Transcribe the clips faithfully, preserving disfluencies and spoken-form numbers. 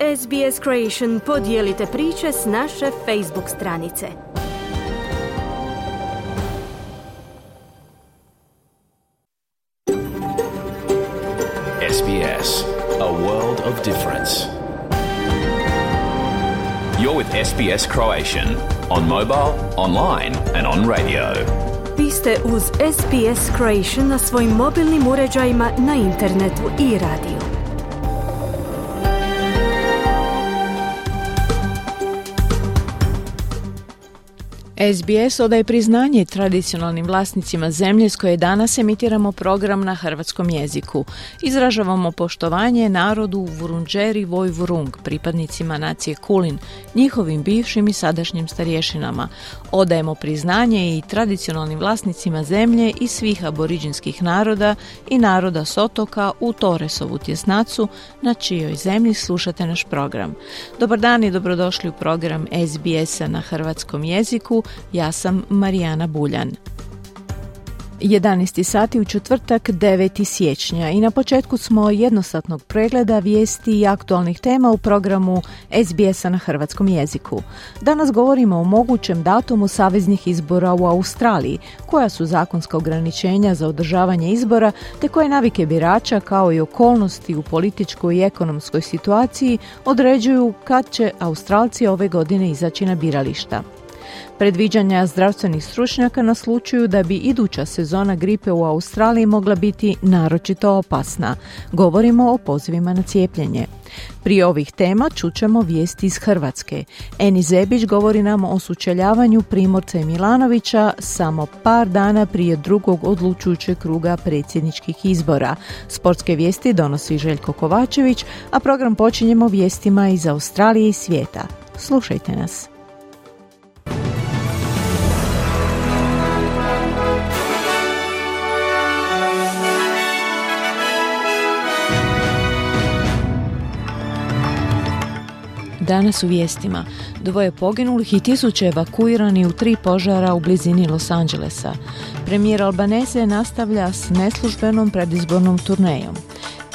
S B S Creation podijelite priče s naše Facebook stranice. S B S, a world of difference. You're with S B S Croatian on mobile, online and on radio. Vi ste uz S B S Creation na svojim mobilnim uređajima, na internetu i radiju. S B S odaje priznanje tradicionalnim vlasnicima zemlje s koje danas emitiramo program na hrvatskom jeziku. Izražavamo poštovanje narodu Vurundjeri Woi-wurrung, pripadnicima nacije Kulin, njihovim bivšim i sadašnjim starješinama. Odajemo priznanje i tradicionalnim vlasnicima zemlje i svih aboriđinskih naroda i naroda s otoka u Torresovu tjesnacu, na čijoj zemlji slušate naš program. Dobar dan i dobrodošli u program S B S-a na hrvatskom jeziku. Ja sam Marijana Buljan. jedanaesti sati u četvrtak, deveti siječnja, i na početku smo jednosatnog pregleda vijesti i aktualnih tema u programu S B S-a na hrvatskom jeziku. Danas govorimo o mogućem datumu saveznih izbora u Australiji, koja su zakonska ograničenja za održavanje izbora, te koje navike birača kao i okolnosti u političkoj i ekonomskoj situaciji određuju kad će Australci ove godine izaći na birališta. Predviđanja zdravstvenih stručnjaka naslučuju da bi iduća sezona gripe u Australiji mogla biti naročito opasna. Govorimo o pozivima na cijepljenje. Prije ovih tema čućemo vijesti iz Hrvatske. Eni Zebić govori nam o sučeljavanju Primorca i Milanovića samo par dana prije drugog odlučujućeg kruga predsjedničkih izbora. Sportske vijesti donosi Željko Kovačević, a program počinjemo vijestima iz Australije i svijeta. Slušajte nas. Danas u vijestima. Dvoje poginulih i tisuće evakuirani u tri požara u blizini Los Angelesa. Premijer Albanese nastavlja s neslužbenom predizbornom turnejom.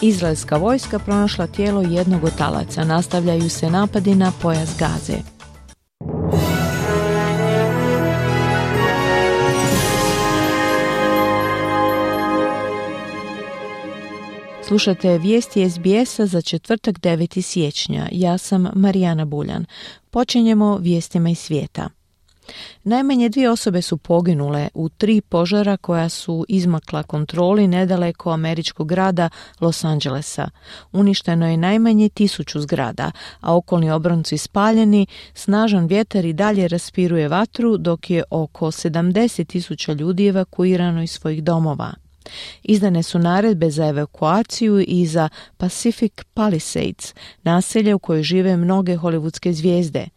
Izraelska vojska pronašla tijelo jednog od talaca. Nastavljaju se napadi na pojas Gaze. Slušate vijesti S B S-a za četvrtak, deveti siječnja. Ja sam Marijana Buljan. Počinjemo vijestima iz svijeta. Najmanje dvije osobe su poginule u tri požara koja su izmakla kontroli nedaleko američkog grada Los Angelesa. Uništeno je najmanje tisuću zgrada, a okolni obronci spaljeni, snažan vjetar i dalje raspiruje vatru, dok je oko sedamdeset tisuća ljudi evakuirano iz svojih domova. Izdane su naredbe za evakuaciju i za Pacific Palisades, naselje u kojoj žive mnoge hollywoodske zvijezde.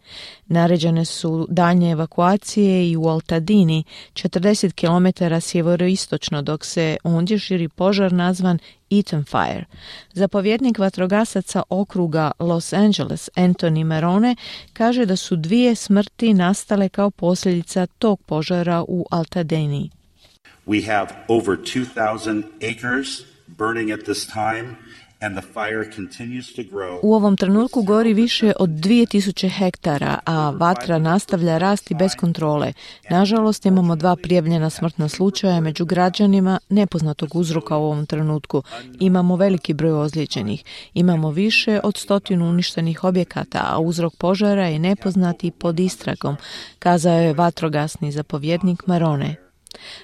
Naređene su daljnje evakuacije i u Altadini, četrdeset kilometara sjeveroistočno, dok se ondje širi požar nazvan Eaton Fire. Zapovjednik vatrogasaca okruga Los Angeles, Anthony Marone, kaže da su dvije smrti nastale kao posljedica tog požara u Altadini. We have over two thousand acres burning at this time and the fire continues to grow. U ovom trenutku gori više od dvije tisuće hektara, a vatra nastavlja rasti bez kontrole. Nažalost, imamo dva prijavljena smrtna slučaja među građanima nepoznatog uzroka u ovom trenutku. Imamo veliki broj ozlijeđenih. Imamo više od stotinu uništenih objekata, a uzrok požara je nepoznat i pod istragom, kazao je vatrogasni zapovjednik Marone.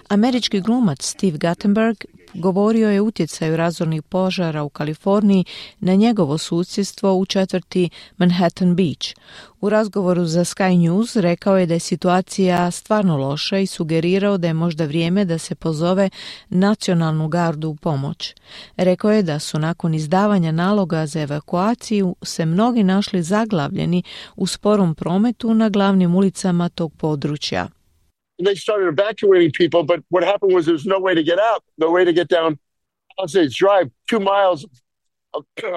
Američki glumac Steve Guttenberg govorio je o utjecaju razornih požara u Kaliforniji na njegovo susjedstvo u četvrti Manhattan Beach. U razgovoru za Sky News rekao je da je situacija stvarno loša i sugerirao da je možda vrijeme da se pozove nacionalnu gardu u pomoć. Rekao je da su nakon izdavanja naloga za evakuaciju se mnogi našli zaglavljeni u sporom prometu na glavnim ulicama tog područja. They started evacuating people, but what happened was there was no way to get out, no way to get down Palisades Drive, two miles of,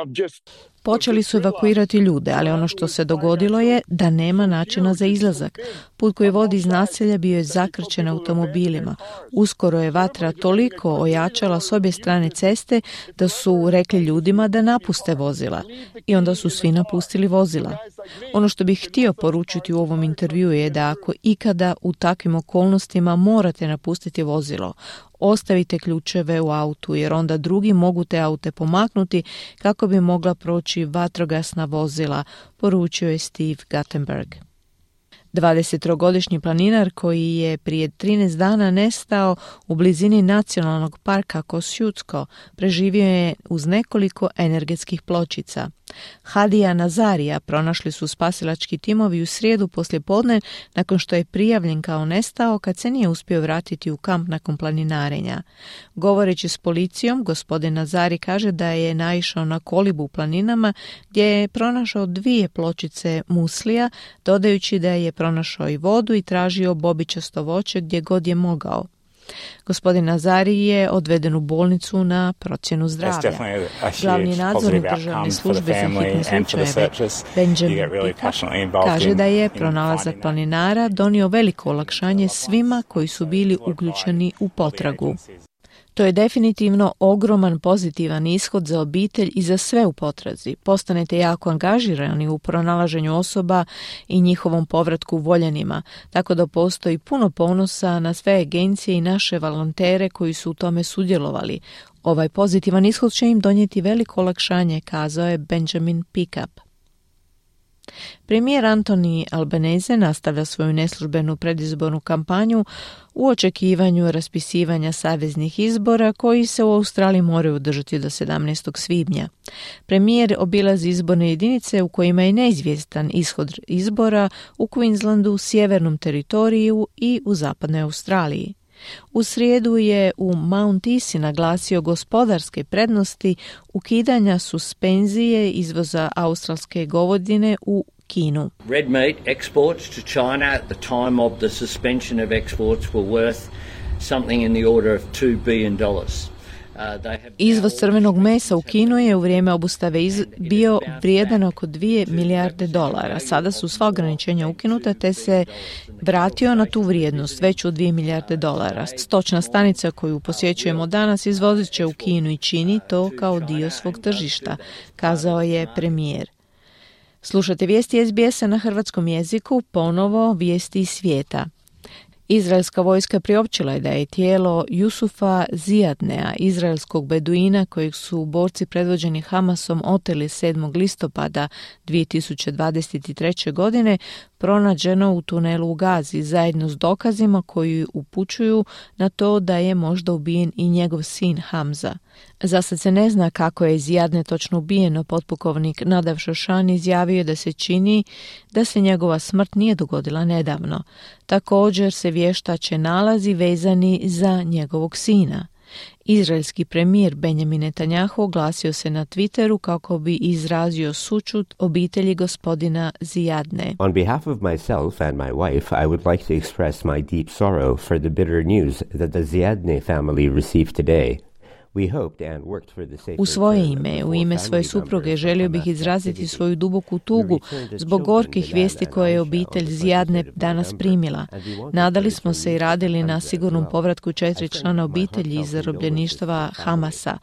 of just... Počeli su evakuirati ljude, ali ono što se dogodilo je da nema načina za izlazak. Put koji vodi iz naselja bio je zakrčen automobilima. Uskoro je vatra toliko ojačala s obje strane ceste da su rekli ljudima da napuste vozila. I onda su svi napustili vozila. Ono što bih htio poručiti u ovom intervjuu je da ako ikada u takvim okolnostima morate napustiti vozilo, ostavite ključeve u autu jer onda drugi mogu te aute pomaknuti kako bi mogla proći vatrogasna vozila, poručio je Steve Guttenberg. dvadesettrogodišnji planinar koji je prije trinaest dana nestao u blizini nacionalnog parka Kosciuszko preživio je uz nekoliko energetskih pločica. Hadija Nazarija pronašli su spasilački timovi u srijedu poslijepodne nakon što je prijavljen kao nestao kad se nije uspio vratiti u kamp nakon planinarenja. Govoreći s policijom, gospodin Nazari kaže da je naišao na kolibu u planinama gdje je pronašao dvije pločice muslija, dodajući da je pronašao i vodu i tražio bobičasto voće gdje god je mogao. Gospodin Nazari je odveden u bolnicu na procjenu zdravlja. Glavni nadzornik državne službe za hitne slučajeve Benjamin Pickup kaže da je pronalazak planinara donio veliko olakšanje svima koji su bili uključeni u potragu. To je definitivno ogroman pozitivan ishod za obitelj i za sve u potrazi. Postanete jako angažirani u pronalaženju osoba i njihovom povratku voljenima, tako da postoji puno ponosa na sve agencije i naše volontere koji su u tome sudjelovali. Ovaj pozitivan ishod će im donijeti veliko olakšanje, kazao je Benjamin Pickup. Premijer Anthony Albanese nastavlja svoju neslužbenu predizbornu kampanju u očekivanju raspisivanja saveznih izbora koji se u Australiji moraju održati do sedamnaestog svibnja. Premijer obilazi izborne jedinice u kojima je neizvjestan ishod izbora u Queenslandu, Sjevernom teritoriju i u Zapadnoj Australiji. U srijedu je u Mount Isi naglasio gospodarske prednosti ukidanja suspenzije izvoza australske govedine u Kinu. Red meat exports to China at the time of the suspension of exports were worth something in the order of two billion dollars. Izvoz crvenog mesa u Kinu je u vrijeme obustave iz... bio vrijedan oko dvije milijarde dolara. Sada su sva ograničenja ukinuta te se vratio na tu vrijednost, veću od dvije milijarde dolara. Stočna stanica koju posjećujemo danas izvozit će u Kinu i čini to kao dio svog tržišta, kazao je premijer. Slušate vijesti es be esa na hrvatskom jeziku, ponovo vijesti iz svijeta. Izraelska vojska priopćila je da je tijelo Jusufa Zijadnea, izraelskog beduina kojeg su borci predvođeni Hamasom oteli sedmog listopada dvije tisuće dvadeset treće. godine, pronađeno u tunelu u Gazi zajedno s dokazima koji upućuju na to da je možda ubijen i njegov sin Hamza. Zasad se ne zna kako je Zijadne točno ubijeno. Potpukovnik Nadav Šošan izjavio da se čini da se njegova smrt nije dogodila nedavno. Također se vještače nalazi vezani za njegovog sina. Izraelski premijer Benjamin Netanjahu oglasio se na Twitteru kako bi izrazio sućut obitelji gospodina Zijadne. On behalf of myself and my wife, I would like to express my deep sorrow for the bitter news that the Zijadne family received today. U svoje ime, u ime svoje supruge, želio bih izraziti svoju duboku tugu zbog gorkih vijesti koje je obitelj Zijadne danas primila. Nadali smo se i radili na sigurnom povratku četiri člana obitelji iz zarobljeništva Hamasa.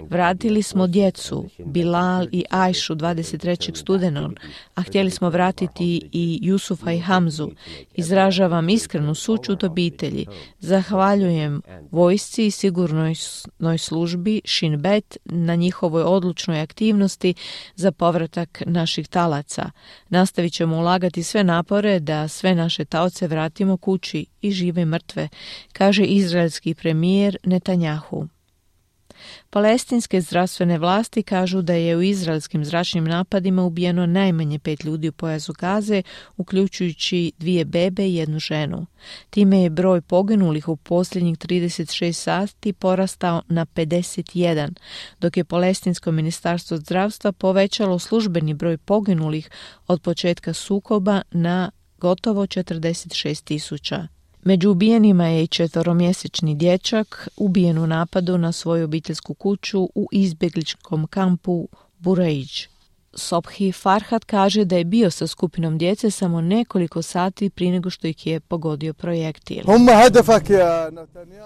Vratili smo djecu, Bilal i Ajšu dvadeset trećeg studenog, a htjeli smo vratiti i Jusufa i Hamzu. Izražavam iskrenu sućut obitelji. Zahvaljujem vojsci i sigurnoj službi službi Shin Bet na njihovoj odlučnoj aktivnosti za povratak naših talaca. Nastavit ćemo ulagati sve napore da sve naše taoce vratimo kući i žive i mrtve, kaže izraelski premijer Netanjahu. Palestinske zdravstvene vlasti kažu da je u izraelskim zračnim napadima ubijeno najmanje pet ljudi u pojasu Gaze, uključujući dvije bebe i jednu ženu. Time je broj poginulih u posljednjih trideset šest sati porastao na pedeset jedan, dok je Palestinsko ministarstvo zdravstva povećalo službeni broj poginulih od početka sukoba na gotovo četrdeset šest tisuća. Među ubijenima je i četveromjesečni dječak ubijen u napadu na svoju obiteljsku kuću u izbjegličkom kampu Burejdž. Sobhi Farhat kaže da je bio sa skupinom djece samo nekoliko sati prije nego što ih je pogodio projektil.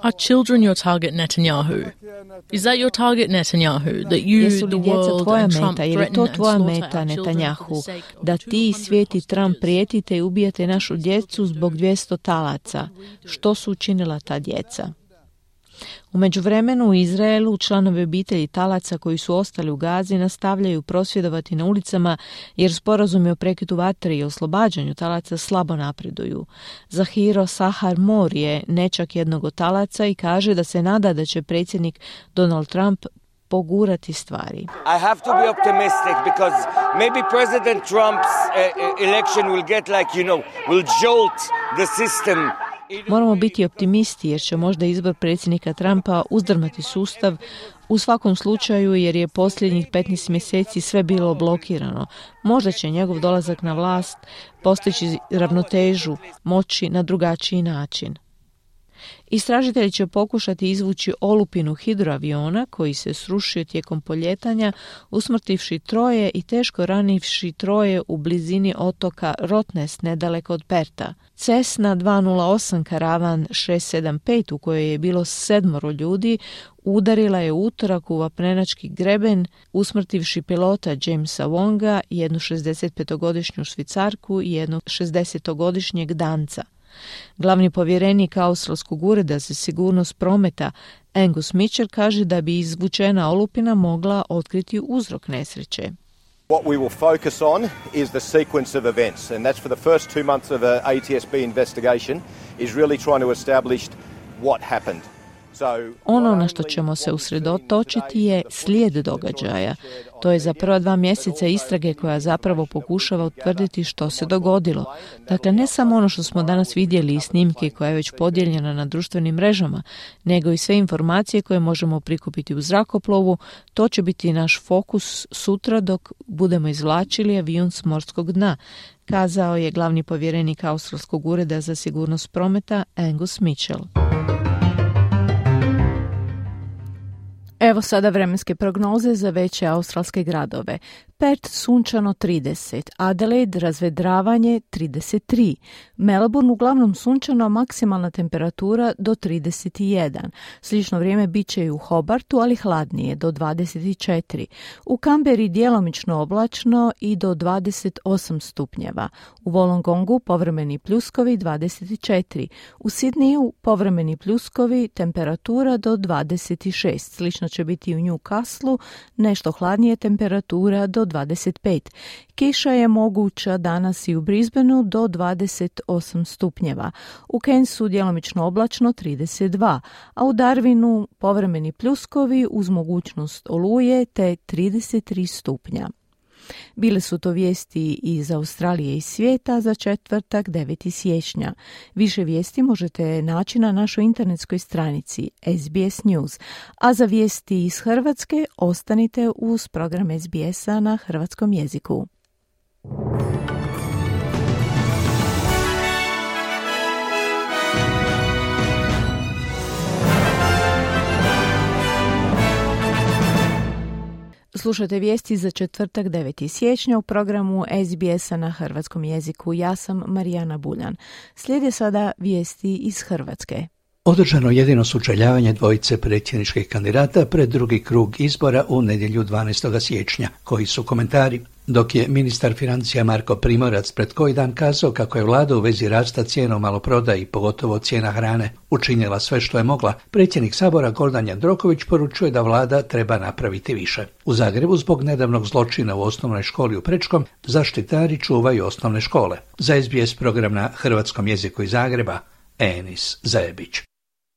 Are children your target, Netanyahu? Is that your target, Netanyahu? That you, Jesu li the djeca world tvoja and Trump meta, jer je threaten to and tvoja slaughter meta, our children for Netanyahu, the sake of da two ti hundred svijet i Trump hostages? prijetite i ubijate našu djecu zbog dvjesto talaca? Što su učinila ta djeca? U međuvremenu u Izraelu članovi obitelji talaca koji su ostali u Gazi nastavljaju prosvjedovati na ulicama jer sporazumi o prekidu vatre i oslobađanju talaca slabo napreduju. Zahiro Sahar Mor je nečak jednog od talaca i kaže da se nada da će predsjednik Donald Trump pogurati stvari. I have to be optimistic because maybe President Trump's uh, election will get like, you know, will jolt the system. Moramo biti optimisti jer će možda izbor predsjednika Trumpa uzdrmati sustav u svakom slučaju jer je posljednjih petnaest mjeseci sve bilo blokirano. Možda će njegov dolazak na vlast postići ravnotežu moći na drugačiji način. Istražitelji će pokušati izvući olupinu hidroaviona koji se srušio tijekom poljetanja, usmrtivši troje i teško ranivši troje u blizini otoka Rotnest nedaleko od Perta. Cessna dva nula osam karavan šest sedam pet u kojoj je bilo sedmoro ljudi udarila je u utorak u vapnenački greben, usmrtivši pilota Jamesa Wonga, jednu šezdesetpetogodišnju Švicarku i jednog šezdesetogodišnjeg Danca. Glavni povjerenik Australskog ureda za sigurnost prometa Angus Mitchell kaže da bi izvučena olupina mogla otkriti uzrok nesreće. What we will focus on is the sequence of events, and that's for the first two months of a A T S B investigation is really trying to establish what happened. Ono na što ćemo se usredotočiti je slijed događaja. To je za prva dva mjeseca istrage koja zapravo pokušava utvrditi što se dogodilo. Dakle, ne samo ono što smo danas vidjeli i snimke koja je već podijeljena na društvenim mrežama, nego i sve informacije koje možemo prikupiti u zrakoplovu. To će biti naš fokus sutra dok budemo izvlačili avion s morskog dna, kazao je glavni povjerenik Australskog ureda za sigurnost prometa Angus Mitchell. Evo sada vremenske prognoze za veće australske gradove. Perth sunčano trideset, Adelaide razvedravanje trideset tri, Melbourne uglavnom sunčano, maksimalna temperatura do trideset jedan. Slično vrijeme bit će i u Hobartu, ali hladnije do dvadeset četiri. U Canberri djelomično oblačno i do dvadeset osam stupnjeva. U Wollongongu povremeni pljuskovi dvadeset četiri. U Sydneyu povremeni pljuskovi, temperatura do dvadeset šest. Slično će biti i u Newcastlu, nešto hladnije, temperatura do dvadeset pet. Kiša je moguća danas i u Brisbaneu do dvadeset osam stupnjeva. U Cairnsu djelomično oblačno trideset dva, a u Darwinu povremeni pljuskovi uz mogućnost oluje te trideset tri stupnja. Bile su to vijesti iz Australije i svijeta za četvrtak deveti siječnja. Više vijesti možete naći na našoj internetskoj stranici S B S News, a za vijesti iz Hrvatske ostanite uz program S B S-a na hrvatskom jeziku. Slušate vijesti za četvrtak deveti siječnja u programu S B S-a na hrvatskom jeziku. Ja sam Marijana Buljan. Slijede sada vijesti iz Hrvatske. Održano jedino sučeljavanje dvojice predsjedničkih kandidata pred drugi krug izbora u nedjelju dvanaestog siječnja. Koji su komentari? Dok je ministar financija Marko Primorac pred koji dan kazao kako je vlada u vezi rasta cijena u maloprodaji i pogotovo cijena hrane učinila sve što je mogla, predsjednik Sabora Gordan Jandroković poručuje da vlada treba napraviti više. U Zagrebu zbog nedavnog zločina u osnovnoj školi u Prečkom zaštitari čuvaju osnovne škole. Za S B S program na hrvatskom jeziku iz Zagreba, Enis Zajebić.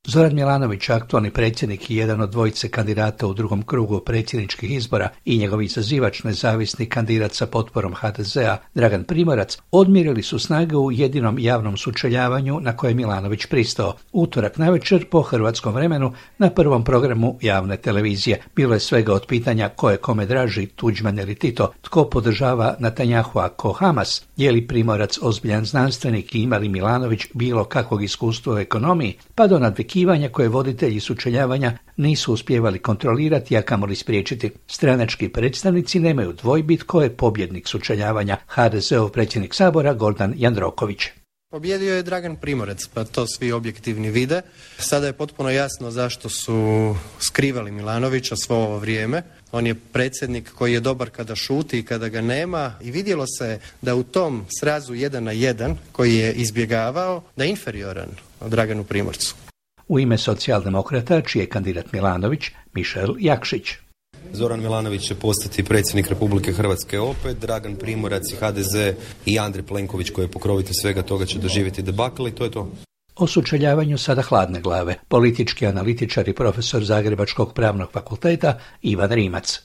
Zoran Milanović, aktualni predsjednik i jedan od dvojice kandidata u drugom krugu predsjedničkih izbora i njegov izazivač nezavisni kandidat sa potporom H D Z-a Dragan Primorac, odmjerili su snage u jedinom javnom sučeljavanju na koje je Milanović pristao. Utorak navečer po hrvatskom vremenu na prvom programu javne televizije. Bilo je svega od pitanja ko je kome draži, Tuđman ili Tito, tko podržava Netanjahua, ko Hamas, je li Primorac ozbiljan znanstvenik i ima li Milanović bilo kakvog iskustva u ekonomiji, pa do nadvikavanja zasjekivanja koje voditelji sučeljavanja nisu uspjevali kontrolirati, a kamoli spriječiti. Stranački predstavnici nemaju dvojbi tko je pobjednik sučeljavanja, ha de zeov predsjednik Sabora Gordan Jandroković. Pobjedio je Dragan Primorac, pa to svi objektivni vide. Sada je potpuno jasno zašto su skrivali Milanovića svo ovo vrijeme. On je predsjednik koji je dobar kada šuti i kada ga nema i vidjelo se da u tom srazu jedan na jedan koji je izbjegavao da je inferioran Draganu Primorcu. U ime socijaldemokrata, čiji je kandidat Milanović, Mišel Jakšić. Zoran Milanović će postati predsjednik Republike Hrvatske opet, Dragan Primorac i ha de ze i Andrej Plenković koji je pokrovitelj svega toga će doživjeti debakl i to je to. O sučeljavanju sada hladne glave, politički analitičar i profesor Zagrebačkog pravnog fakulteta Ivan Rimac.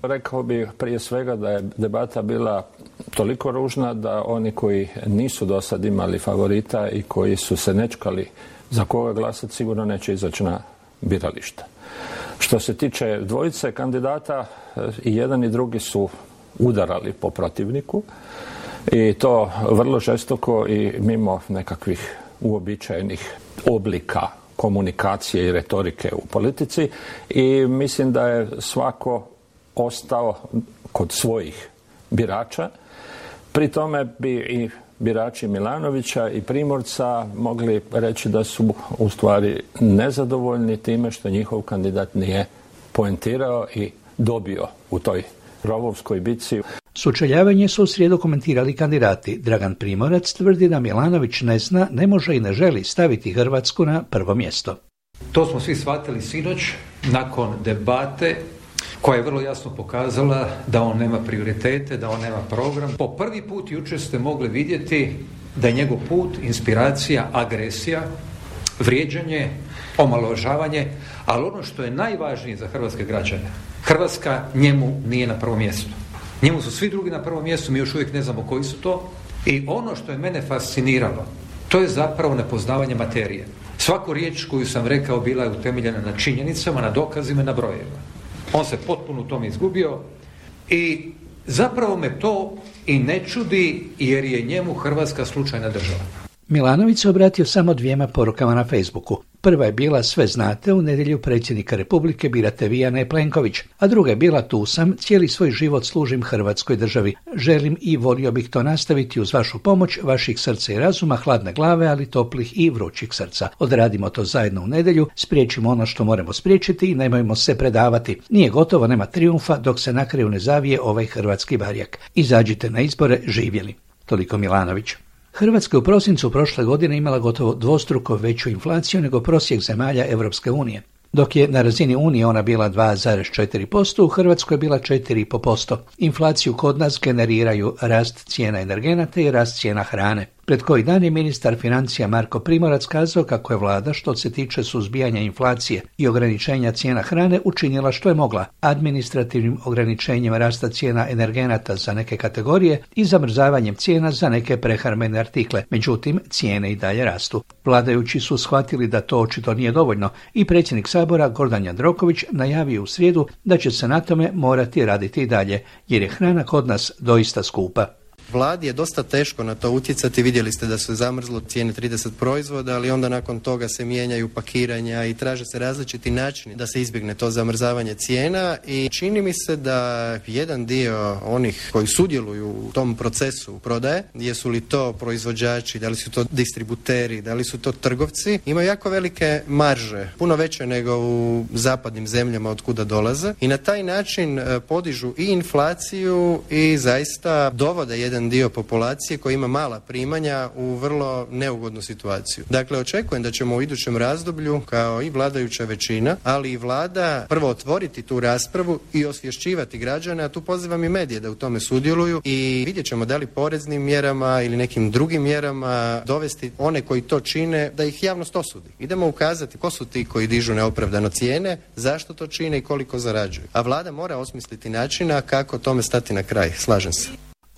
Rekao bih prije svega da je debata bila toliko ružna da oni koji nisu do sad imali favorita i koji su se nečkali za koga glasati sigurno neće izaći na birališta. Što se tiče dvojice kandidata, i jedan i drugi su udarali po protivniku i to vrlo žestoko i mimo nekakvih uobičajenih oblika komunikacije i retorike u politici i mislim da je svako ostao kod svojih birača. Pri tome bi i birači Milanovića i Primorca mogli reći da su u stvari nezadovoljni time što njihov kandidat nije poentirao i dobio u toj rovovskoj bitci. Sučeljavanje su u srijedu komentirali kandidati. Dragan Primorac tvrdi da Milanović ne zna, ne može i ne želi staviti Hrvatsku na prvo mjesto. To smo svi shvatili sinoć nakon debate koja je vrlo jasno pokazala da on nema prioritete, da on nema program. Po prvi put jučer ste mogli vidjeti da je njegov put, inspiracija, agresija, vrijeđanje, omalovažavanje, ali ono što je najvažnije za hrvatske građane, Hrvatska njemu nije na prvom mjestu. Njemu su svi drugi na prvom mjestu, mi još uvijek ne znamo koji su to. I ono što je mene fasciniralo, to je zapravo nepoznavanje materije. Svaku riječ koju sam rekao bila je utemeljena na činjenicama, na dokazima i na brojevima. On se potpuno u tome izgubio i zapravo me to i ne čudi jer je njemu Hrvatska slučajna država. Milanović se obratio samo dvijema porukama na Facebooku. Prva je bila sve znate, u nedjelju predsjednika Republike birate vi, a ne Plenković, a druga je bila tu sam, cijeli svoj život služim Hrvatskoj državi. Želim i volio bih to nastaviti uz vašu pomoć, vaših srca i razuma, hladne glave, ali toplih i vrućih srca. Odradimo to zajedno u nedjelju, spriječimo ono što moramo spriječiti i nemojmo se predavati. Nije gotovo, nema trijumfa dok se na kraju ne zavije ovaj hrvatski barjak. Izađite na izbore, živjeli. Toliko Milanović. Hrvatska je u prosincu prošle godine imala gotovo dvostruko veću inflaciju nego prosjek zemalja Europske unije. Dok je na razini Unije ona bila dva zarez četiri posto, u Hrvatskoj je bila četiri zarez pet posto. Inflaciju kod nas generiraju rast cijena energenata i rast cijena hrane. Pred koji dan je ministar financija Marko Primorac kazao kako je vlada, što se tiče suzbijanja inflacije i ograničenja cijena hrane, učinila što je mogla administrativnim ograničenjem rasta cijena energenata za neke kategorije i zamrzavanjem cijena za neke prehrambene artikle. Međutim, cijene i dalje rastu. Vladajući su shvatili da to očito nije dovoljno i predsjednik Sabora Gordan Jandroković najavio u srijedu da će se na tome morati raditi i dalje, jer je hrana kod nas doista skupa. Vladi je dosta teško na to utjecati, vidjeli ste da su zamrzlo cijene trideset proizvoda, ali onda nakon toga se mijenjaju pakiranja i traže se različiti načini da se izbjegne to zamrzavanje cijena i čini mi se da jedan dio onih koji sudjeluju u tom procesu prodaje, jesu li to proizvođači, da li su to distributeri, da li su to trgovci, imaju jako velike marže, puno veće nego u zapadnim zemljama od kuda dolaze i na taj način podižu i inflaciju i zaista dovode jedan dio populacije koji ima mala primanja u vrlo neugodnu situaciju. Dakle, očekujem da ćemo u idućem razdoblju, kao i vladajuća većina, ali i vlada, prvo otvoriti tu raspravu i osvješćivati građane, a tu pozivam i medije da u tome sudjeluju i vidjet ćemo da li poreznim mjerama ili nekim drugim mjerama dovesti one koji to čine da ih javnost osudi. Idemo ukazati ko su ti koji dižu neopravdano cijene, zašto to čine i koliko zarađuju. A vlada mora osmisliti načina kako tome stati na kraj. Slažem se.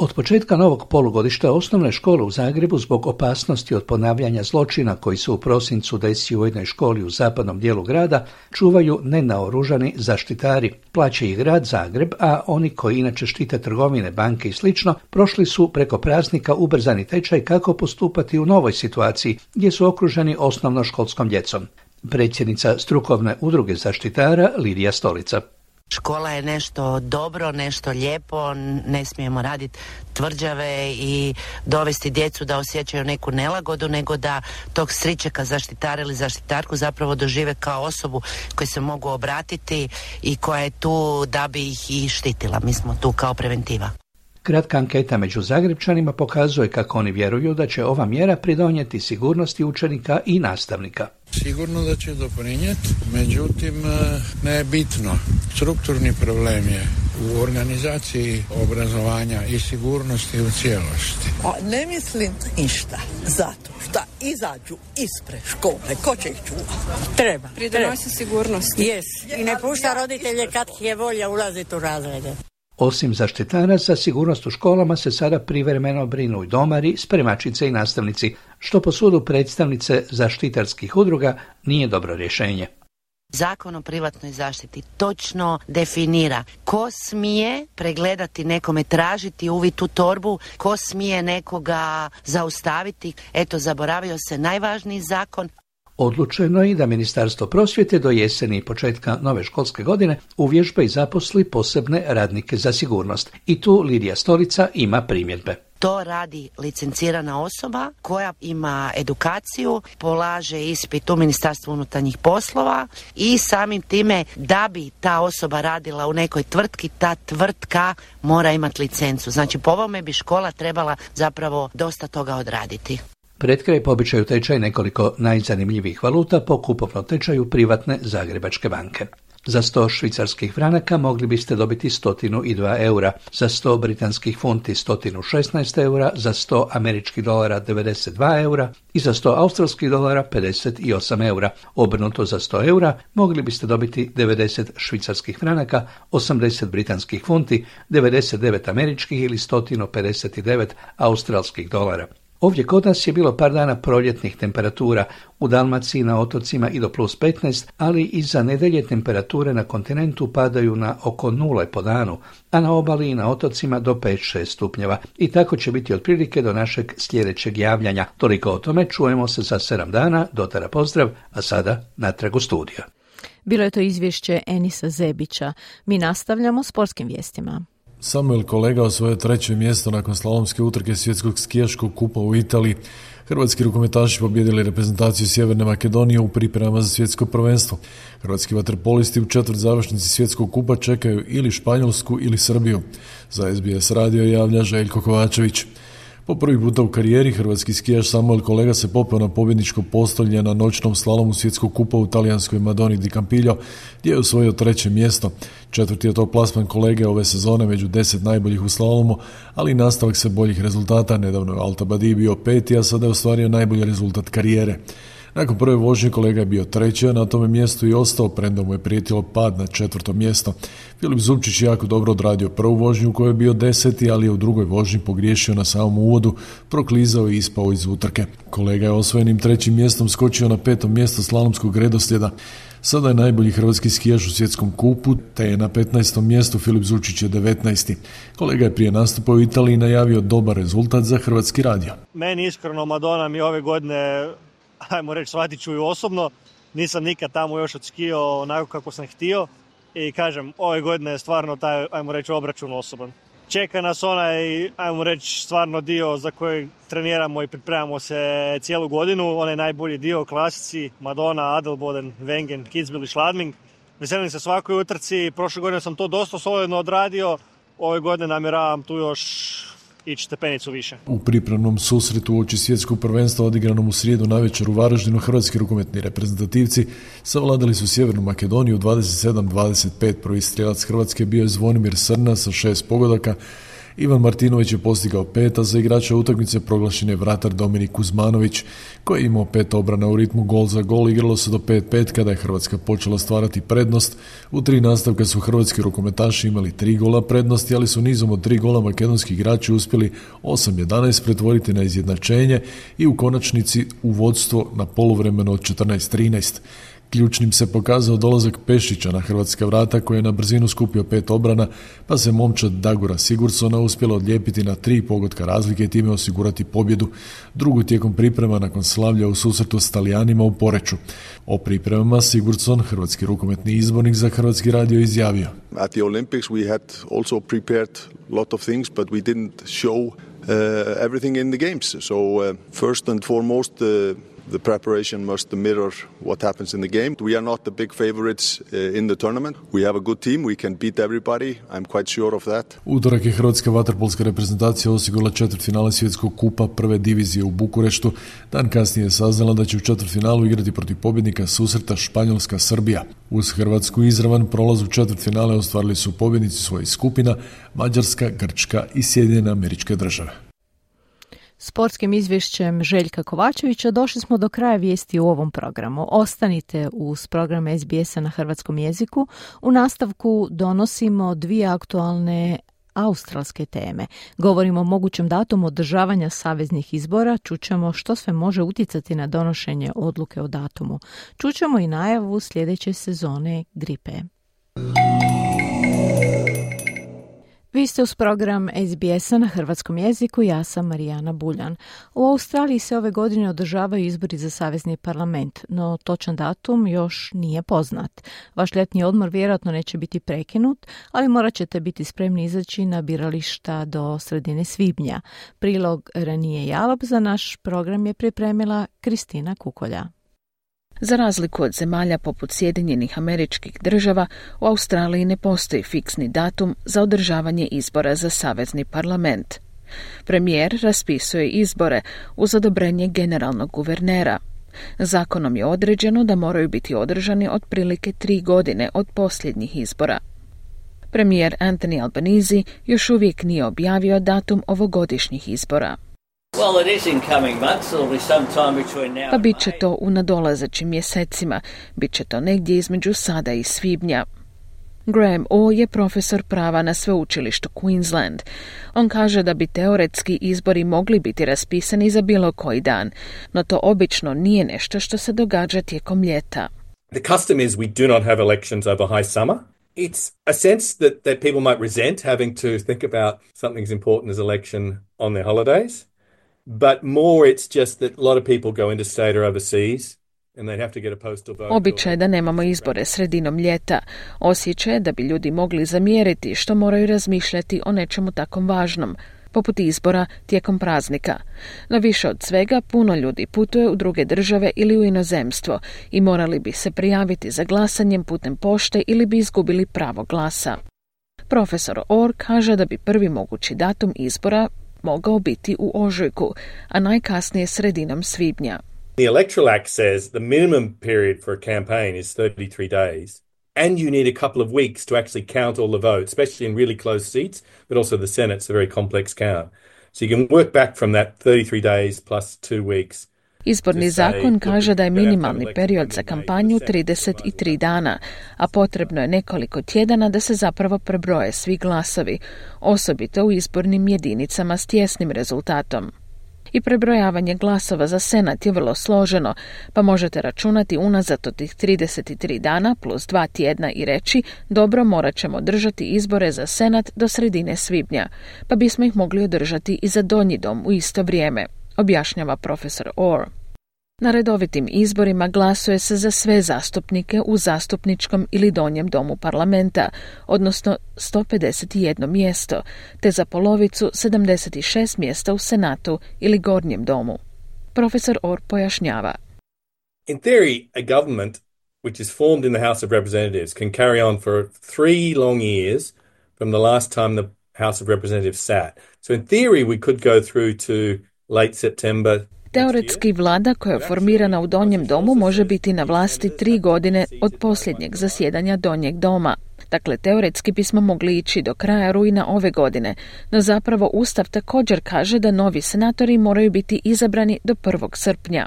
Od početka novog polugodišta osnovne škole u Zagrebu zbog opasnosti od ponavljanja zločina koji se u prosincu desio u jednoj školi u zapadnom dijelu grada čuvaju nenaoružani zaštitari. Plaća ih grad Zagreb, a oni koji inače štite trgovine, banke i slično prošli su preko praznika ubrzani tečaj kako postupati u novoj situaciji gdje su okruženi osnovnoškolskom djecom. Predsjednica strukovne udruge zaštitara Lidija Stolica. Škola je nešto dobro, nešto lijepo, ne smijemo raditi tvrđave i dovesti djecu da osjećaju neku nelagodu, nego da tog stričeka zaštitara ili zaštitarku zapravo dožive kao osobu koju se mogu obratiti i koja je tu da bi ih i štitila. Mi smo tu kao preventiva. Kratka anketa među Zagrebčanima pokazuje kako oni vjeruju da će ova mjera pridonijeti sigurnosti učenika i nastavnika. Sigurno da će doprinijeti, međutim ne je bitno. Strukturni problem je u organizaciji obrazovanja i sigurnosti u cijelosti. A ne mislim ništa, zato što izađu ispred škole, ko će ih čuvati? Treba. Pridonosi sigurnosti. Yes. I ne pušta roditelje kad je volja ulaziti u razrede. Osim zaštitara, za sigurnost u školama se sada privremeno brinu i domari, spremačice i nastavnici, što po sudu predstavnice zaštitarskih udruga nije dobro rješenje. Zakon o privatnoj zaštiti točno definira ko smije pregledati nekome, tražiti uvid u torbu, ko smije nekoga zaustaviti. Eto, zaboravio se najvažniji zakon. Odlučeno je da Ministarstvo prosvjete do jeseni i početka nove školske godine uvježba i zaposli posebne radnike za sigurnost. I tu Lidija Stolica ima primjedbe. To radi licencirana osoba koja ima edukaciju, polaže ispit u Ministarstvu unutarnjih poslova i samim time da bi ta osoba radila u nekoj tvrtki, ta tvrtka mora imati licencu. Znači po ovome bi škola trebala zapravo dosta toga odraditi. Pred kraj po običaju tečaj nekoliko najzanimljivijih valuta po kupovnom tečaju privatne Zagrebačke banke. Za sto švicarskih franaka mogli biste dobiti sto dva eura, za sto britanskih funti sto šesnaest eura, za sto američkih dolara devedeset dva eura i za sto australskih dolara pedeset osam eura. Obrnuto za sto eura mogli biste dobiti devedeset švicarskih franaka, osamdeset britanskih funti, devedeset devet američkih ili sto pedeset devet australskih dolara. Ovdje kod nas je bilo par dana proljetnih temperatura, u Dalmaciji na otocima i do plus petnaest, ali iza nedelje temperature na kontinentu padaju na oko nule po danu, a na obali i na otocima do pet šest stupnjeva. I tako će biti otprilike do našeg sljedećeg javljanja. Toliko o tome, čujemo se za sedam dana, dotara pozdrav, a sada natrag u studio. Bilo je to izvješće Enisa Zebića. Mi nastavljamo sportskim vijestima. Samuel Kolega osvojio treće mjesto nakon slalomske utrke svjetskog skijaškog kupa u Italiji. Hrvatski rukometaši pobjedili reprezentaciju Sjeverne Makedonije u pripremama za svjetsko prvenstvo. Hrvatski vaterpolisti u četvrt završnici svjetskog kupa čekaju ili Španjolsku ili Srbiju. Za S B S radio javlja Željko Kovačević. Po prvi puta u karijeri hrvatski skijaš Samuel Kolega se popeo na pobjedničko postolje na noćnom slalomu svjetskog kupa u talijanskoj Madoni di Campiglio, gdje je osvojio treće mjesto. Četvrti je to plasman Kolege ove sezone među deset najboljih u slalomu, ali i nastavak sve boljih rezultata. Nedavno je Alta Badi bio peti, a sada je ostvario najbolji rezultat karijere. Nakon prve vožnje Kolega je bio treći, a na tome mjestu i ostao, premda mu je prijetilo pad na četvrto mjesto. Filip Zupčić je jako dobro odradio prvu vožnju u kojoj je bio deseti, ali je u drugoj vožnji pogriješio na samom uvodu, proklizao i ispao iz utrke. Kolega je osvojenim trećim mjestom skočio na petom mjesto slalomskog redoslijeda. Sada je najbolji hrvatski skijaš u svjetskom kupu, te je na petnaestom mjestu, Filip Zupčić je devetnaesti. Kolega je prije nastupa u Italiji najavio dobar rezultat za Hrvatski radio. Meni iskreno Madona mi ove godine, ajmo reći, shvatit ću ju osobno. Nisam nikad tamo još odskijao onako kako sam htio i kažem, ove godine je stvarno taj, ajmo reći, obračun osoban. Čeka nas onaj, ajmo reći, stvarno dio za koji treniramo i pripremamo se cijelu godinu. Onaj najbolji dio, klasici, Madona, Adelboden, Wengen, Kitzbühel i Schladming. Veselim se svakoj utrci, prošle godine sam to dosta solidno odradio, ove godine namjeravam tu još ići stepenicu više. U pripremnom susretu uoči svjetskog prvenstva odigranom u srijedu navečer u Varaždinu hrvatski rukometni reprezentativci savladali su Sjevernu Makedoniju dvadeset sedam dvadeset pet. Prvi strijelac Hrvatske bio je Zvonimir Srna sa šest pogodaka. Ivan Martinović je postigao pet, a za igrača utakmice proglašen je vratar Dominik Kuzmanović, koji je imao pet obrana u ritmu gol za gol. Igralo se do pet pet kada je Hrvatska počela stvarati prednost. U tri nastavka su hrvatski rukometaši imali tri gola prednosti, ali su nizom od tri gola makedonski igrači uspjeli osam jedanaest pretvoriti na izjednačenje i u konačnici u vodstvo na poluvremeno od četrnaest trinaest. Ključnim se pokazao dolazak Pešića na hrvatska vrata, koji je na brzinu skupio pet obrana, pa se momčad Dagora Sigurdsona uspjela odlijepiti na tri pogotka razlike i time osigurati pobjedu. Drugu tijekom priprema nakon slavlja u susretu s Talijanima u Poreču. O pripremama Sigurdsson, hrvatski rukometni izbornik za Hrvatski radio, izjavio: At the Olympics we had also prepared a lot of things, but we didn't show uh, everything in the games. So uh, first and foremost, uh, the preparation must mirror what happens in the game. We are not the big favorites uh, in the tournament. We have a good team. We can beat everybody. I'm quite sure of that. Utorak je hrvatska vaterpolska reprezentacija osigurala četvrtfinale svjetskog kupa prve divizije u Bukureštu. Dan kasnije je saznala da će u četvrtfinalu igrati protiv pobjednika susreta Španjolska-Srbija. Uz Hrvatsku izravan prolaz u četvrtfinale ostvarili su pobjednici svojih skupina Mađarska, Grčka i Sjedinjene Američke Države. Sportskim izvješćem Željka Kovačevića došli smo do kraja vijesti u ovom programu. Ostanite uz program S B S-a na hrvatskom jeziku. U nastavku donosimo dvije aktualne australske teme. Govorimo o mogućem datumu održavanja saveznih izbora, čućemo što sve može utjecati na donošenje odluke o datumu. Čućemo i najavu sljedeće sezone gripe. Vi ste uz program S B S-a na hrvatskom jeziku, ja sam Marijana Buljan. U Australiji se ove godine održavaju izbori za savezni parlament, no točan datum još nije poznat. Vaš ljetni odmor vjerojatno neće biti prekinut, ali morat ćete biti spremni izaći na birališta do sredine svibnja. Prilog Ranije Jalop za naš program je pripremila Kristina Kukolja. Za razliku od zemalja poput Sjedinjenih Američkih Država, u Australiji ne postoji fiksni datum za održavanje izbora za savezni parlament. Premijer raspisuje izbore uz odobrenje generalnog guvernera. Zakonom je određeno da moraju biti održani otprilike tri godine od posljednjih izbora. Premijer Anthony Albanese još uvijek nije objavio datum ovogodišnjih izbora. Pa bit će to u nadolazećim mjesecima, bit će to negdje između sada i svibnja. Graham O je profesor prava na sveučilištu Queensland. On kaže da bi teoretski izbori mogli biti raspisani za bilo koji dan, no to obično nije nešto što se događa tijekom ljeta. The custom is we do not have elections over high summer. It's a sense that, that people might resent having to think about something as important as election on their holidays. But more it's just that a lot of people go into state or overseas and they have to get a postal vote. Običaj je da nemamo izbore sredinom ljeta. Osjećaj je da bi ljudi mogli zamjeriti što moraju razmišljati o nečemu takom važnom, poput izbora tijekom praznika. No više od svega, puno ljudi putuje u druge države ili u inozemstvo i morali bi se prijaviti za glasanjem putem pošte ili bi izgubili pravo glasa. Profesor Orr kaže da bi prvi mogući datum izbora mogao biti u ožujku, a najkasnije sredinom svibnja. The Electoral Act says the minimum period for a campaign is thirty-three days, and you need a couple of weeks to actually count all the votes, especially in really close seats, but also the Senate's a very complex count. So you can work back from that thirty-three days plus two weeks. Izborni zakon kaže da je minimalni period za kampanju trideset tri dana, a potrebno je nekoliko tjedana da se zapravo prebroje svi glasovi, osobito u izbornim jedinicama s tjesnim rezultatom. I prebrojavanje glasova za Senat je vrlo složeno, pa možete računati unazad od tih trideset tri dana plus dva tjedna i reći, dobro, morat ćemo držati izbore za Senat do sredine svibnja, pa bismo ih mogli održati i za donji dom u isto vrijeme, objašnjava profesor Orr. Na redovitim izborima glasuje se za sve zastupnike u zastupničkom ili donjem domu parlamenta, odnosno sto pedeset jedno mjesto, te za polovicu sedamdeset šest mjesta u Senatu ili gornjem domu. Profesor Orr pojašnjava. In theory, a government which is formed in the House of Representatives can carry on for three long years from the last time the House of Representatives sat. So in theory we could go through to late September. Teoretski vlada koja je formirana u donjem domu može biti na vlasti tri godine od posljednjeg zasjedanja donjeg doma. Dakle, teoretski bismo mogli ići do kraja rujna ove godine, no zapravo Ustav također kaže da novi senatori moraju biti izabrani do prvog srpnja.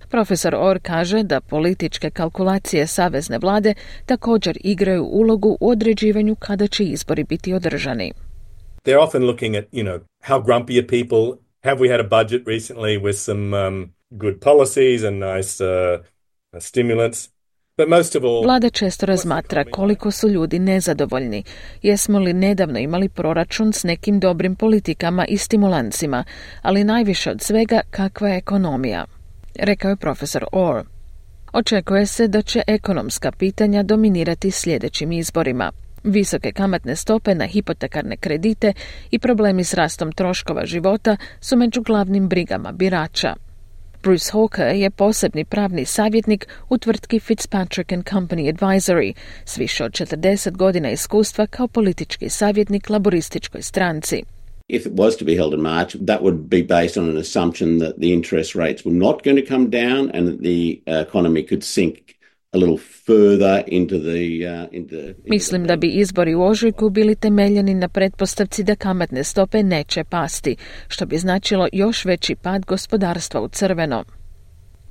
Profesor Orr kaže da političke kalkulacije savezne vlade također igraju ulogu u određivanju kada će izbori biti održani. They're often looking at, you know, how grumpy are people? Have we had a budget recently with some um, good policies and nice uh, stimulants? But most of all, Vlada često razmatra koliko su ljudi nezadovoljni. Jesmo li nedavno imali proračun s nekim dobrim politikama i stimulancima, ali najviše od svega kakva je ekonomija, rekao je profesor Orr. Očekuje se da će ekonomska pitanja dominirati sljedećim izborima. Visoke kamatne stope na hipotekarne kredite i problemi s rastom troškova života su među glavnim brigama birača. Bruce Hawker je posebni pravni savjetnik u tvrtki Fitzpatrick and Company Advisory s više od četrdeset godina iskustva kao politički savjetnik laborističkoj stranci. If it was to be held in March, that would be based on an assumption that the interest rates were not going to come down and that the economy could sink a little further into the, uh, into, into Mislim da bi izbori u ožujku bili temeljeni na pretpostavci da kamatne stope neće pasti, što bi značilo još veći pad gospodarstva u crveno.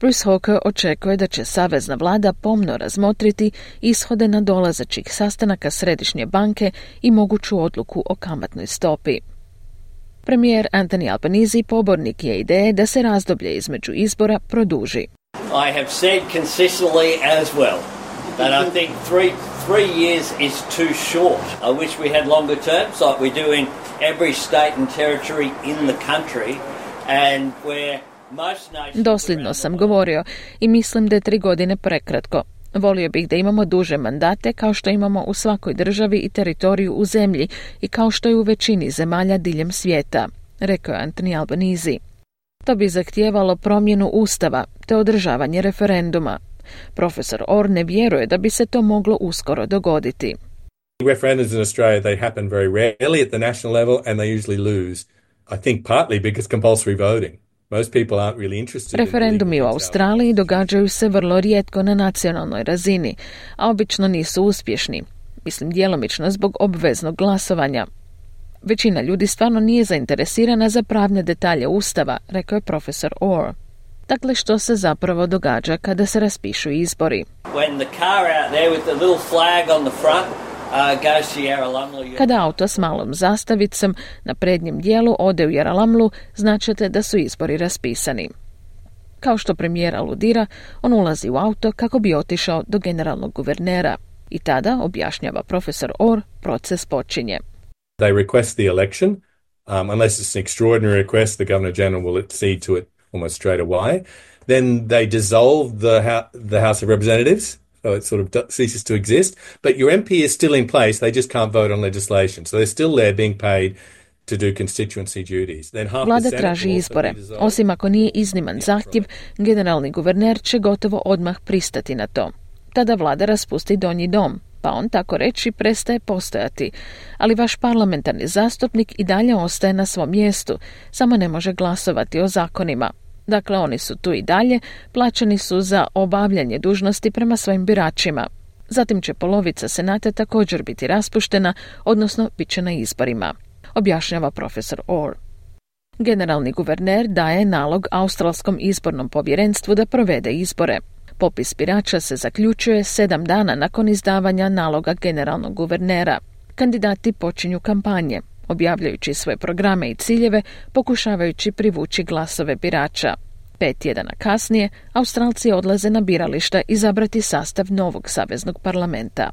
Bruce Hawker očekuje da će savezna vlada pomno razmotriti ishode nadolazećih sastanaka Središnje banke i moguću odluku o kamatnoj stopi. Premijer Anthony Albanese pobornik je ideje da se razdoblje između izbora produži. I have said consistently as well that I think three three years is too short. I wish we had longer terms like we do in every state and territory in the country and where most nations... Dosljedno sam govorio i mislim da je tri godine prekratko. Volio bih da imamo duže mandate kao što imamo u svakoj državi i teritoriju u zemlji i kao što je u većini zemalja diljem svijeta, rekao je Anthony Albanese. To bi zahtijevalo promjenu ustava te održavanje referenduma. Profesor Orr ne vjeruje da bi se to moglo uskoro dogoditi. Referendums in Australia, they happen very rarely at the national level and they usually lose. I think partly because compulsory voting. Most people aren't really interested. Referendumi u Australiji događaju se vrlo rijetko na nacionalnoj razini, a obično nisu uspješni. Mislim djelomično zbog obveznog glasovanja. Većina ljudi stvarno nije zainteresirana za pravne detalje ustava, rekao je profesor Orr. Dakle, što se zapravo događa kada se raspišu izbori? When the car out there with the little flag on the front uh, goes to Yarralumla. Kada auto s malom zastavicom na prednjem dijelu ode u Yarralamlu, značite da su izbori raspisani. Kao što premijer aludira, on ulazi u auto kako bi otišao do generalnog guvernera. I tada, objašnjava profesor Orr, proces počinje. They request the election, um, unless it's an extraordinary request, the Governor-General will accede to it almost straight away. Then they dissolve the, ho- the House of Representatives, so it sort of d- ceases to exist. But your M P is still in place, they just can't vote on legislation. So they're still there being paid to do constituency duties. Then half Vlada the Senate traži will also izbore. be dissolved. Osim ako nije izniman zahtjev, generalni guverner će gotovo odmah pristati na to. Tada vlada raspusti donji dom, pa on tako reći prestaje postojati, ali vaš parlamentarni zastupnik i dalje ostaje na svom mjestu, samo ne može glasovati o zakonima. Dakle, oni su tu i dalje, plaćeni su za obavljanje dužnosti prema svojim biračima. Zatim će polovica senata također biti raspuštena, odnosno bit će na izborima, objašnjava profesor Orr. Generalni guverner daje nalog Australskom izbornom povjerenstvu da provede izbore. Popis birača se zaključuje sedam dana nakon izdavanja naloga generalnog guvernera. Kandidati počinju kampanje, objavljajući svoje programe i ciljeve, pokušavajući privući glasove birača. Pet tjedana kasnije, Australci odlaze na birališta izabrati sastav novog saveznog parlamenta.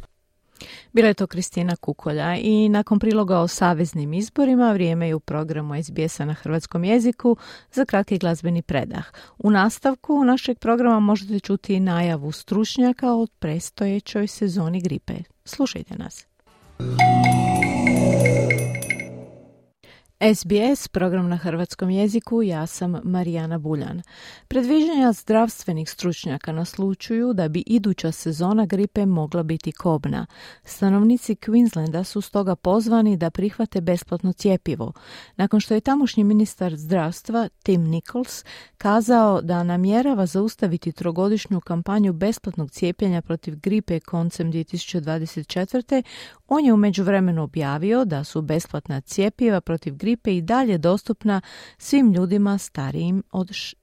Bila je to Kristina Kukolja i nakon priloga o saveznim izborima vrijeme je u programu S B S-a na hrvatskom jeziku za kratki glazbeni predah. U nastavku našeg programa možete čuti najavu stručnjaka o predstojećoj sezoni gripe. Slušajte nas. S B S, program na hrvatskom jeziku, ja sam Marijana Buljan. Predviđanja zdravstvenih stručnjaka naslučuju da bi iduća sezona gripe mogla biti kobna. Stanovnici Queenslanda su stoga pozvani da prihvate besplatno cjepivo, nakon što je tamošnji ministar zdravstva Tim Nichols kazao da namjerava zaustaviti trogodišnju kampanju besplatnog cijepljenja protiv gripe koncem dvije tisuće dvadeset četvrte. On je u međuvremenu objavio da su besplatna cjepiva protiv gripe i dalje dostupna svim ljudima starijim od, š...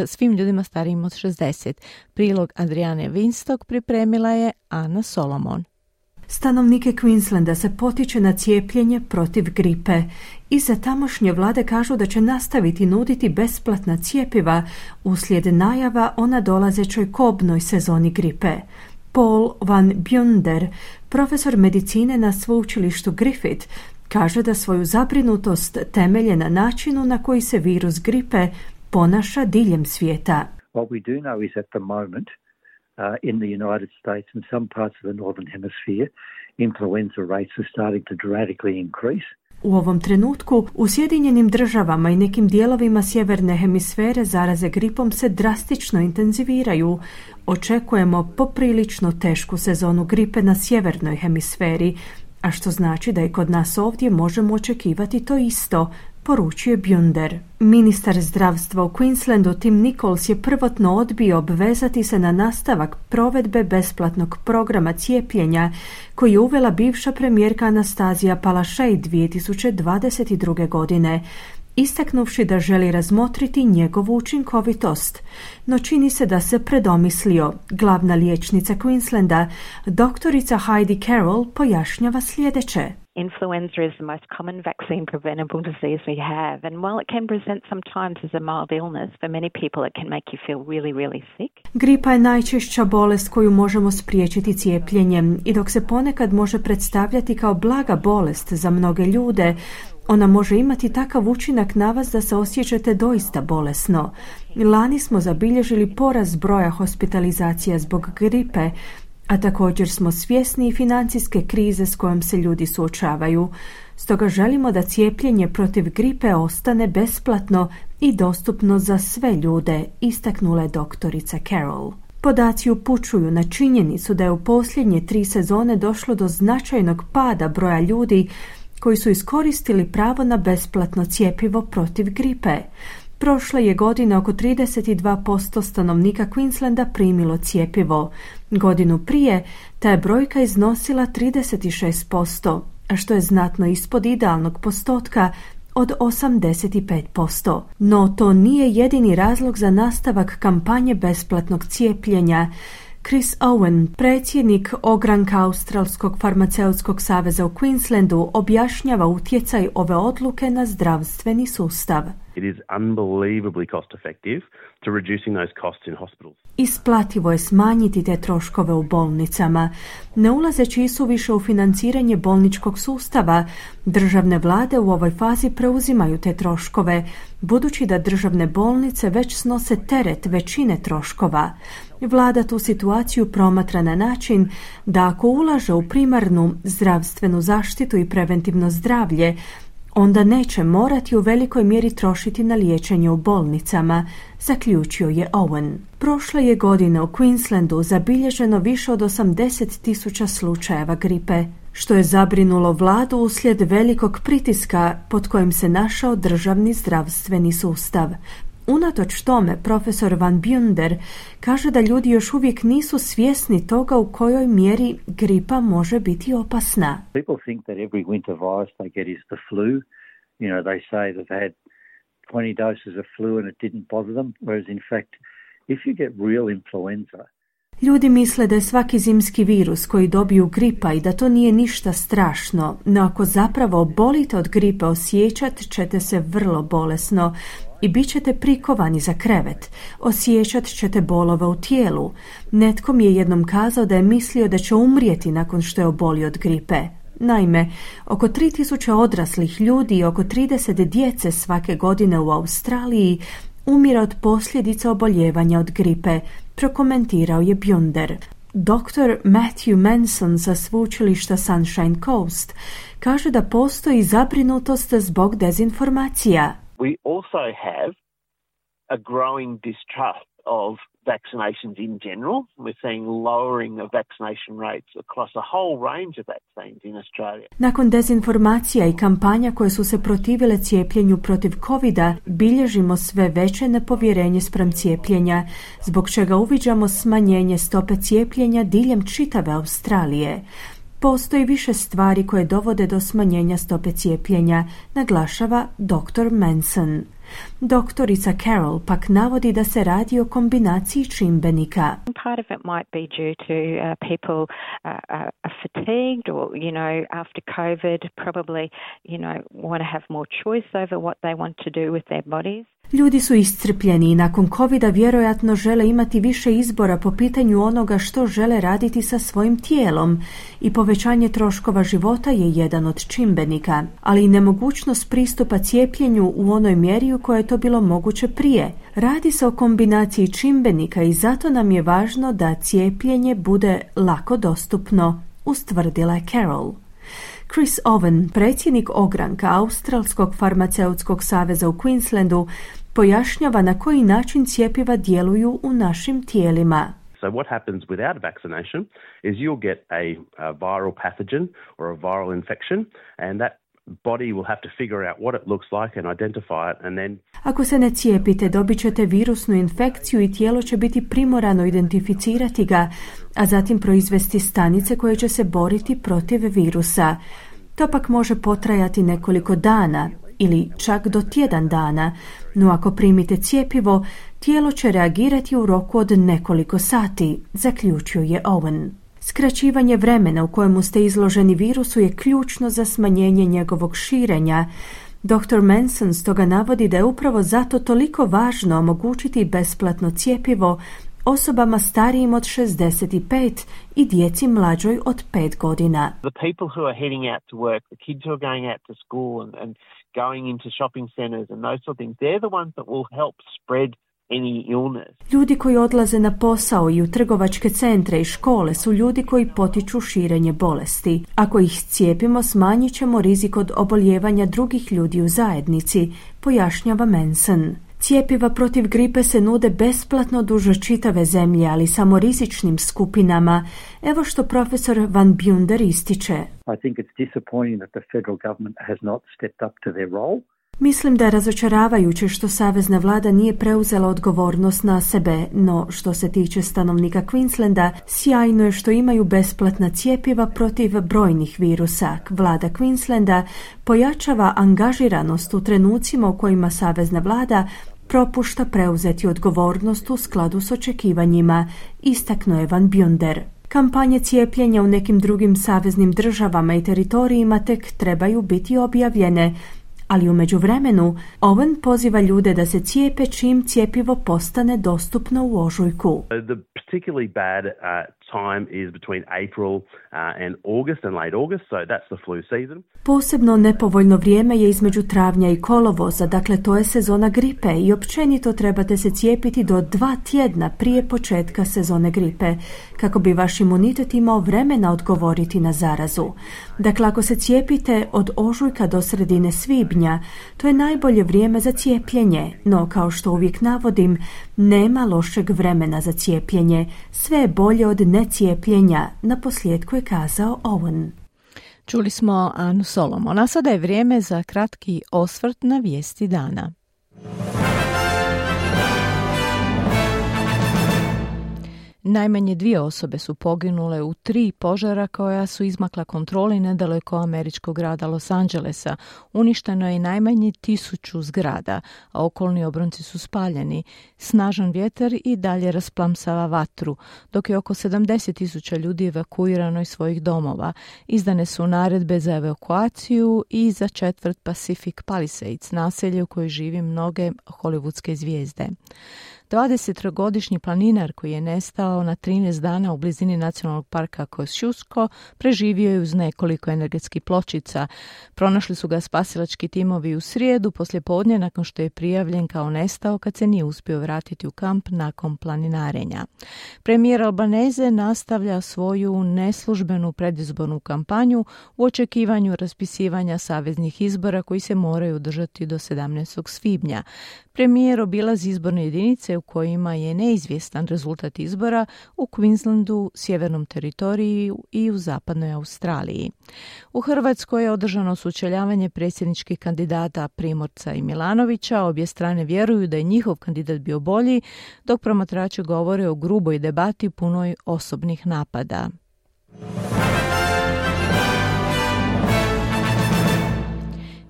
svim ljudima starijim od šezdeset. Prilog Adriane Winstock pripremila je Ana Solomon. Stanovnike Queenslanda se potiče na cijepljenje protiv gripe. Iza tamošnje vlade kažu da će nastaviti nuditi besplatna cjepiva uslijed najava o nadolazećoj kobnoj sezoni gripe. Paul van Bunder, profesor medicine na sveučilištu Griffith, kaže da svoju zabrinutost temelje na načinu na koji se virus gripe ponaša diljem svijeta. What we do know is at the moment uh, in the United States and some parts of the northern hemisphere, influenza rates are starting to dramatically increase. U ovom trenutku u Sjedinjenim državama i nekim dijelovima sjeverne hemisfere zaraze gripom se drastično intenziviraju. Očekujemo poprilično tešku sezonu gripe na sjevernoj hemisferi, a što znači da i kod nas ovdje možemo očekivati to isto, poručuje Bunder. Ministar zdravstva u Queenslandu Tim Nichols je prvotno odbio obvezati se na nastavak provedbe besplatnog programa cijepljenja koji je uvela bivša premijerka Anastazija Palaszczuk dvije tisuće dvadeset druge. godine, istaknuvši da želi razmotriti njegovu učinkovitost. No čini se da se predomislio. Glavna liječnica Queenslanda, doktorica Heidi Carroll, pojašnjava sljedeće. Influenza is the most common vaccine preventable disease we have, and while it can present sometimes as a mild illness, for many people it can make you feel really, really sick. Gripa je najčešća bolest koju možemo spriječiti cijepljenjem i dok se ponekad može predstavljati kao blaga bolest za mnoge ljude, ona može imati takav učinak na vas da se osjećate doista bolesno. Lani smo zabilježili porast broja hospitalizacija zbog gripe, a također smo svjesni i financijske krize s kojom se ljudi suočavaju. Stoga želimo da cijepljenje protiv gripe ostane besplatno i dostupno za sve ljude, istaknula je doktorica Carroll. Podaci upućuju na činjenicu da je u posljednje tri sezone došlo do značajnog pada broja ljudi koji su iskoristili pravo na besplatno cjepivo protiv gripe. Prošle je godine oko trideset dva posto stanovnika Queenslanda primilo cjepivo. Godinu prije ta je brojka iznosila trideset šest posto, a što je znatno ispod idealnog postotka od osamdeset pet posto. No to nije jedini razlog za nastavak kampanje besplatnog cijepljenja. Chris Owen, predsjednik ogranka Australskog farmaceutskog saveza u Queenslandu, objašnjava utjecaj ove odluke na zdravstveni sustav. It is unbelievably cost effective to reducing those costs in hospitals. Isplativo je smanjiti te troškove u bolnicama. Ne ulazeći isuviše u financiranje bolničkog sustava, državne vlade u ovoj fazi preuzimaju te troškove, budući da državne bolnice već snose teret većine troškova. Vlada tu situaciju promatra na način da ako ulaže u primarnu zdravstvenu zaštitu i preventivno zdravlje, onda neće morati u velikoj mjeri trošiti na liječenje u bolnicama, zaključio je Owen. Prošle je godine u Queenslandu zabilježeno više od osamdeset tisuća slučajeva gripe, što je zabrinulo vladu uslijed velikog pritiska pod kojim se našao državni zdravstveni sustav. Unatoč tome, profesor Van Bunder kaže da ljudi još uvijek nisu svjesni toga u kojoj mjeri gripa može biti opasna. People think that every winter virus they get is the flu. You know, they say that they had twenty doses of flu and it didn't bother them, whereas in fact, if you get real influenza, ljudi misle da je svaki zimski virus koji dobiju gripa i da to nije ništa strašno, no ako zapravo obolite od gripe osjećat ćete se vrlo bolesno i bit ćete prikovani za krevet. Osjećat ćete bolove u tijelu. Netko mi je jednom kazao da je mislio da će umrijeti nakon što je obolio od gripe. Naime, oko tri tisuće odraslih ljudi i oko trideset djece svake godine u Australiji umire od posljedica oboljevanja od gripe, prokomentirao je Bunder. doktor Matthew Manson sa sveučilišta Sunshine Coast kaže da postoji zabrinutost zbog dezinformacija. We also have a growing distrust of vaccinations in general. We're seeing lowering of vaccination rates across a whole range of vaccines in Australia. Nakon dezinformacija i kampanja koje su se protivile cijepljenju protiv covida, bilježimo sve veće nepovjerenje spram cijepljenja, zbog čega uviđamo smanjenje stope cijepljenja diljem čitave Australije. Postoji više stvari koje dovode do smanjenja stope cijepljenja, naglašava doktor Manson. Doktorica Carroll pak navodi da se radi o kombinaciji čimbenika. Part of it might be due to uh, people uh, are fatigued or, you know, after COVID probably, you know, want to have more choice over what they want to do with their bodies. Ljudi su iscrpljeni i nakon covida vjerojatno žele imati više izbora po pitanju onoga što žele raditi sa svojim tijelom i povećanje troškova života je jedan od čimbenika, ali i nemogućnost pristupa cijepljenju u onoj mjeri u kojoj je to bilo moguće prije. Radi se o kombinaciji čimbenika i zato nam je važno da cijepljenje bude lako dostupno, ustvrdila je Carroll. Chris Owen, predsjednik ogranka Australskog farmaceutskog saveza u Queenslandu, pojašnjava na koji način cjepiva djeluju u našim tijelima. So what happens without a vaccination is you'll get a, a viral pathogen or a viral infection, and that body will have to figure out what it looks like and identify it, and then... Ako se ne cijepite, dobit ćete virusnu infekciju i tijelo će biti primorano identificirati ga, a zatim proizvesti stanice koje će se boriti protiv virusa. To pak može potrajati nekoliko dana ili čak do tjedan dana, no ako primite cjepivo, tijelo će reagirati u roku od nekoliko sati, zaključuje Owen. Skraćivanje vremena u kojemu ste izloženi virusu je ključno za smanjenje njegovog širenja. doktor Manson stoga navodi da je upravo zato toliko važno omogućiti besplatno cjepivo osobama starijim od šezdeset pet i djeci mlađoj od pet godina. The people who are heading out to work, the kids who are going out to school and, and going into shopping centres and those sort of things, they're the ones that will help spread any illness. Ljudi koji odlaze na posao i u trgovačke centre i škole su ljudi koji potiču širenje bolesti. Ako ih cijepimo, smanjit ćemo rizik od oboljevanja drugih ljudi u zajednici, pojašnjava Manson. Cijepiva protiv gripe se nude besplatno duž čitave zemlje, ali samo rizičnim skupinama. Evo što profesor Van Bunder ističe. I think it's disappointing that the federal government has not stepped up to their role. Mislim da je razočaravajuće što savezna vlada nije preuzela odgovornost na sebe, no što se tiče stanovnika Queenslanda, sjajno je što imaju besplatna cijepiva protiv brojnih virusa. Vlada Queenslanda pojačava angažiranost u trenucima u kojima savezna vlada propušta preuzeti odgovornost u skladu s očekivanjima, istaknuo je Van Bunder. Kampanje cijepljenja u nekim drugim saveznim državama i teritorijima tek trebaju biti objavljene, ali u međuvremenu Owen poziva ljude da se cijepe čim cjepivo postane dostupno u ožujku. The particularly bad uh, time is between April uh, and August and late August, so that's the flu season. Posebno nepovoljno vrijeme je između travnja i kolovoza, dakle to je sezona gripe i općenito trebate se cijepiti do dva tjedna prije početka sezone gripe, kako bi vaš imunitet imao vremena odgovoriti na zarazu. Dakle, ako se cijepite od ožujka do sredine svibnja, to je najbolje vrijeme za cijepljenje, no kao što uvijek navodim, nema lošeg vremena za cijepljenje, sve je bolje od necijepljenja, naposljetku je kazao Owen. Čuli smo Anu Solomon, a sada je vrijeme za kratki osvrt na vijesti dana. Najmanje dvije osobe su poginule u tri požara koja su izmakla kontroli nedaleko američkog grada Los Angelesa. Uništeno je i najmanje tisuću zgrada, a okolni obronci su spaljeni. Snažan vjetar i dalje rasplamsava vatru, dok je oko sedamdeset tisuća ljudi evakuirano iz svojih domova. Izdane su naredbe za evakuaciju i za četvrt Pacific Palisades, naselje u kojoj živi mnoge hollywoodske zvijezde. dvadesettrogodišnji planinar koji je nestao na trinaest dana u blizini nacionalnog parka Kosciuszko preživio je uz nekoliko energetskih pločica. Pronašli su ga spasilački timovi u srijedu poslijepodne nakon što je prijavljen kao nestao kad se nije uspio vratiti u kamp nakon planinarenja. Premijer Albanese nastavlja svoju neslužbenu predizbornu kampanju u očekivanju raspisivanja saveznih izbora koji se moraju održati do sedamnaestog svibnja. Premijer obilazi izborne jedinice u kojima je neizvjestan rezultat izbora u Queenslandu, Sjevernom teritoriju i u zapadnoj Australiji. U Hrvatskoj je održano sučeljavanje predsjedničkih kandidata Primorca i Milanovića. Obje strane vjeruju da je njihov kandidat bio bolji, dok promatrači govore o gruboj debati punoj osobnih napada.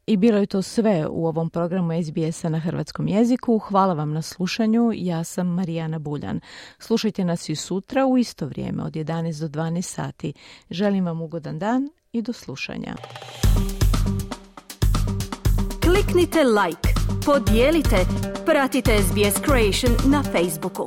I bilo je to sve u ovom programu S B S-a na hrvatskom jeziku. Hvala vam na slušanju. Ja sam Marijana Buljan. Slušajte nas i sutra u isto vrijeme od jedanaest do dvanaest sati. Želim vam ugodan dan i do slušanja. Kliknite like, podijelite, pratite S B S Creation na Facebooku.